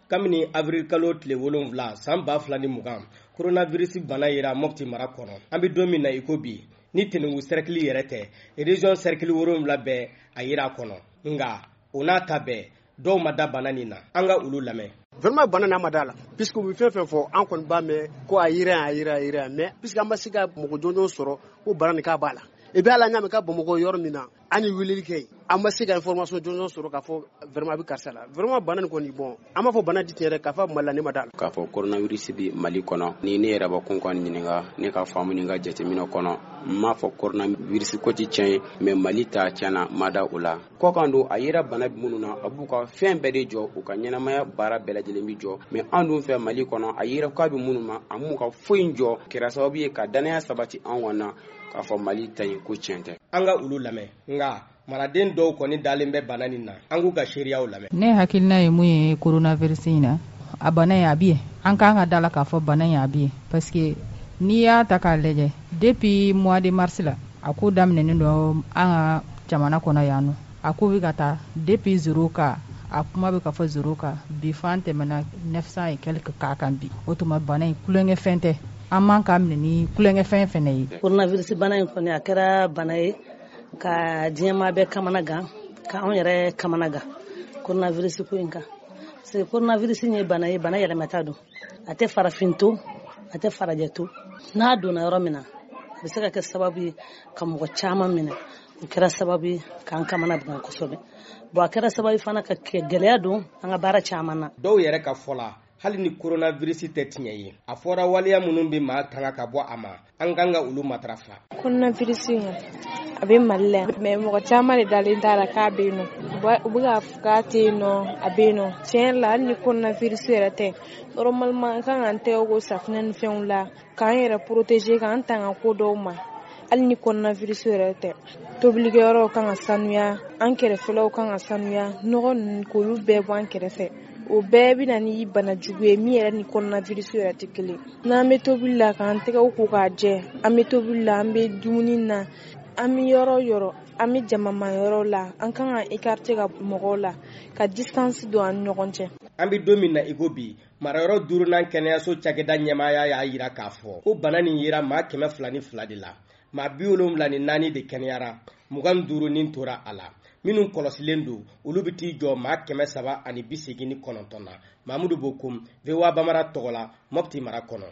Kabini avril kalo tile 7 san 2020, coronavirus bana yera Mopti mara kɔnɔ. An bɛ don min na i ko bi, ni Tenenkou cercle yɛrɛ tɛ, région cercle 7 bɛɛ a yera a kɔnɔ. Nka o n'a ta bɛɛ, dɔw ma da bana nin na. An ka olu lamɛn. Vraiment bana n'a ma da la, puisque u bɛ fɛn fɛn fɔ, an kɔni b'a mɛn ko a yera yan, a yera, a yera yan, mais puisque an ma se ka mɔgɔ jɔnjɔn sɔrɔ ko bana nin k'a b'a la. Et puis hali an y'a mɛn k'a Bamakɔ yɔrɔ min na, an ye weleli kɛ yen, an ma se ka information jɔnjɔn sɔrɔ k'a fɔ vraiment a bɛ karisa la. Vraiment bana nin kɔni, bon, an b'a fɔ bana di tiɲɛ yɛrɛ k'a fɔ Mali la, ne ma da la. K'a fɔ coronavirus bɛ Mali kɔnɔ, ni ne yɛrɛ bakun kɔni ɲininka, ne ka faamu ni n ka jateminɛ kɔnɔ, n m'a fɔ coronavirus ko ti tiɲɛ ye, mais Mali ta tiɲɛna, n ma da o la. Kɔkan don, a yera bana minnu na, a b'u ka fɛn bɛɛ de jɔ, u ka ɲɛnamaya baara bɛɛ lajɛlen bɛ jɔ. Mais an dun fɛ Mali kɔnɔ, a yera k'a bɛ minnu ma, a m'u ka foyi jɔ. Kɛra sababu ye ka danaya sabati an kɔni na k'a fɔ Mali ta in ko tiɲɛ tɛ. An ka olu lamɛn. Nka maraden dɔw kɔni dalen bɛ bana nin na, an k'u ka seereyaw lamɛn. Ne hakilina ye mun ye coronavirus in na, a bana in a bɛ yen, an kan ka da la k'a fɔ bana in a bɛ yen, parce que n'i y'a ta k'a lajɛ depuis mois de mars la, a ko daminɛnen don an ka jamana kɔnɔ yan nɔ. A ko bɛ ka taa depuis 0 cas, a kuma bɛ ka fɔ 0 cas, bi fo an tɛmɛna 900 et quelques cas kan bi. O tuma bana in tulonkɛfɛn tɛ, an man k'a minɛ ni tulonkɛfɛn fɛnɛ ye. Coronavirus bana in kɔni, a kɛra bana ye ka diɲɛmaa bɛɛ kamana gan, ka anw yɛrɛ kamana gan coronavirus ko in kan. Parce que coronavirus ye bana ye, bana yɛlɛmata don, a tɛ farafin to, a tɛ farajɛ to. N'a donna yɔrɔ min na, a bɛ se ka kɛ sababu ye ka mɔgɔ caman minɛ. O kɛra sababu ye k'an kamana gan kosɛbɛ. Bon, a kɛra sababu fana ka gɛlɛya don an ka baara caman na. Dɔw yɛrɛ ka fɔ la, hali ni coronavirus tɛ tiɲɛ ye, a fɔra waleya minnu bɛ maa tanga ka bɔ a ma, an kan ka olu matarafa. Coronavirus in a bɛ Mali la yan, mais mɔgɔ caman de dalen t'a la k'a bɛ yen nɔ. U bɛ k'a fɔ k'a tɛ yen nɔ, a bɛ yen nɔ. Tiɲɛ yɛrɛ la, hali ni coronavirus yɛrɛ tɛ, normalement an kan k'an tɛgɛ ko safunɛ ni fɛnw la, k'an yɛrɛ protéger, k'an tanga ko dɔw ma. Hali ni coronavirus yɛrɛ tɛ, tobilikɛyɔrɔw kan ka sanuya, an kɛrɛfɛlaw kan ka sanuya, nɔgɔ ninnu k'olu bɛɛ bɔ an kɛrɛfɛ. O bɛɛ bɛ na ni bana jugu ye min yɛrɛ ni coronavirus yɛrɛ tɛ kelen. N'an bɛ tobili la, k'an tɛgɛw ko k'a jɛ, an bɛ tobili la, an bɛ dumuni na, an bɛ yɔrɔ o yɔrɔ, an bɛ jamama yɔrɔ la, an kan ka écarter ka mɔgɔw la, ka distance don an ni ɲɔgɔn cɛ. An bɛ don min na i ko bi, marayɔrɔ duurunan kɛnɛyaso cakɛda ɲɛmaaya y'a jira k'a fɔ ko bana nin yera maa 202 de la. Maa 74 de kɛnɛyara, 25 nin tora a la. Minnu kɔlɔsilen don, olu bɛ t'i jɔ maa 389 na. Mamudu Bokum, VOA Bambara tɔgɔ la, Mopti mara kɔnɔ.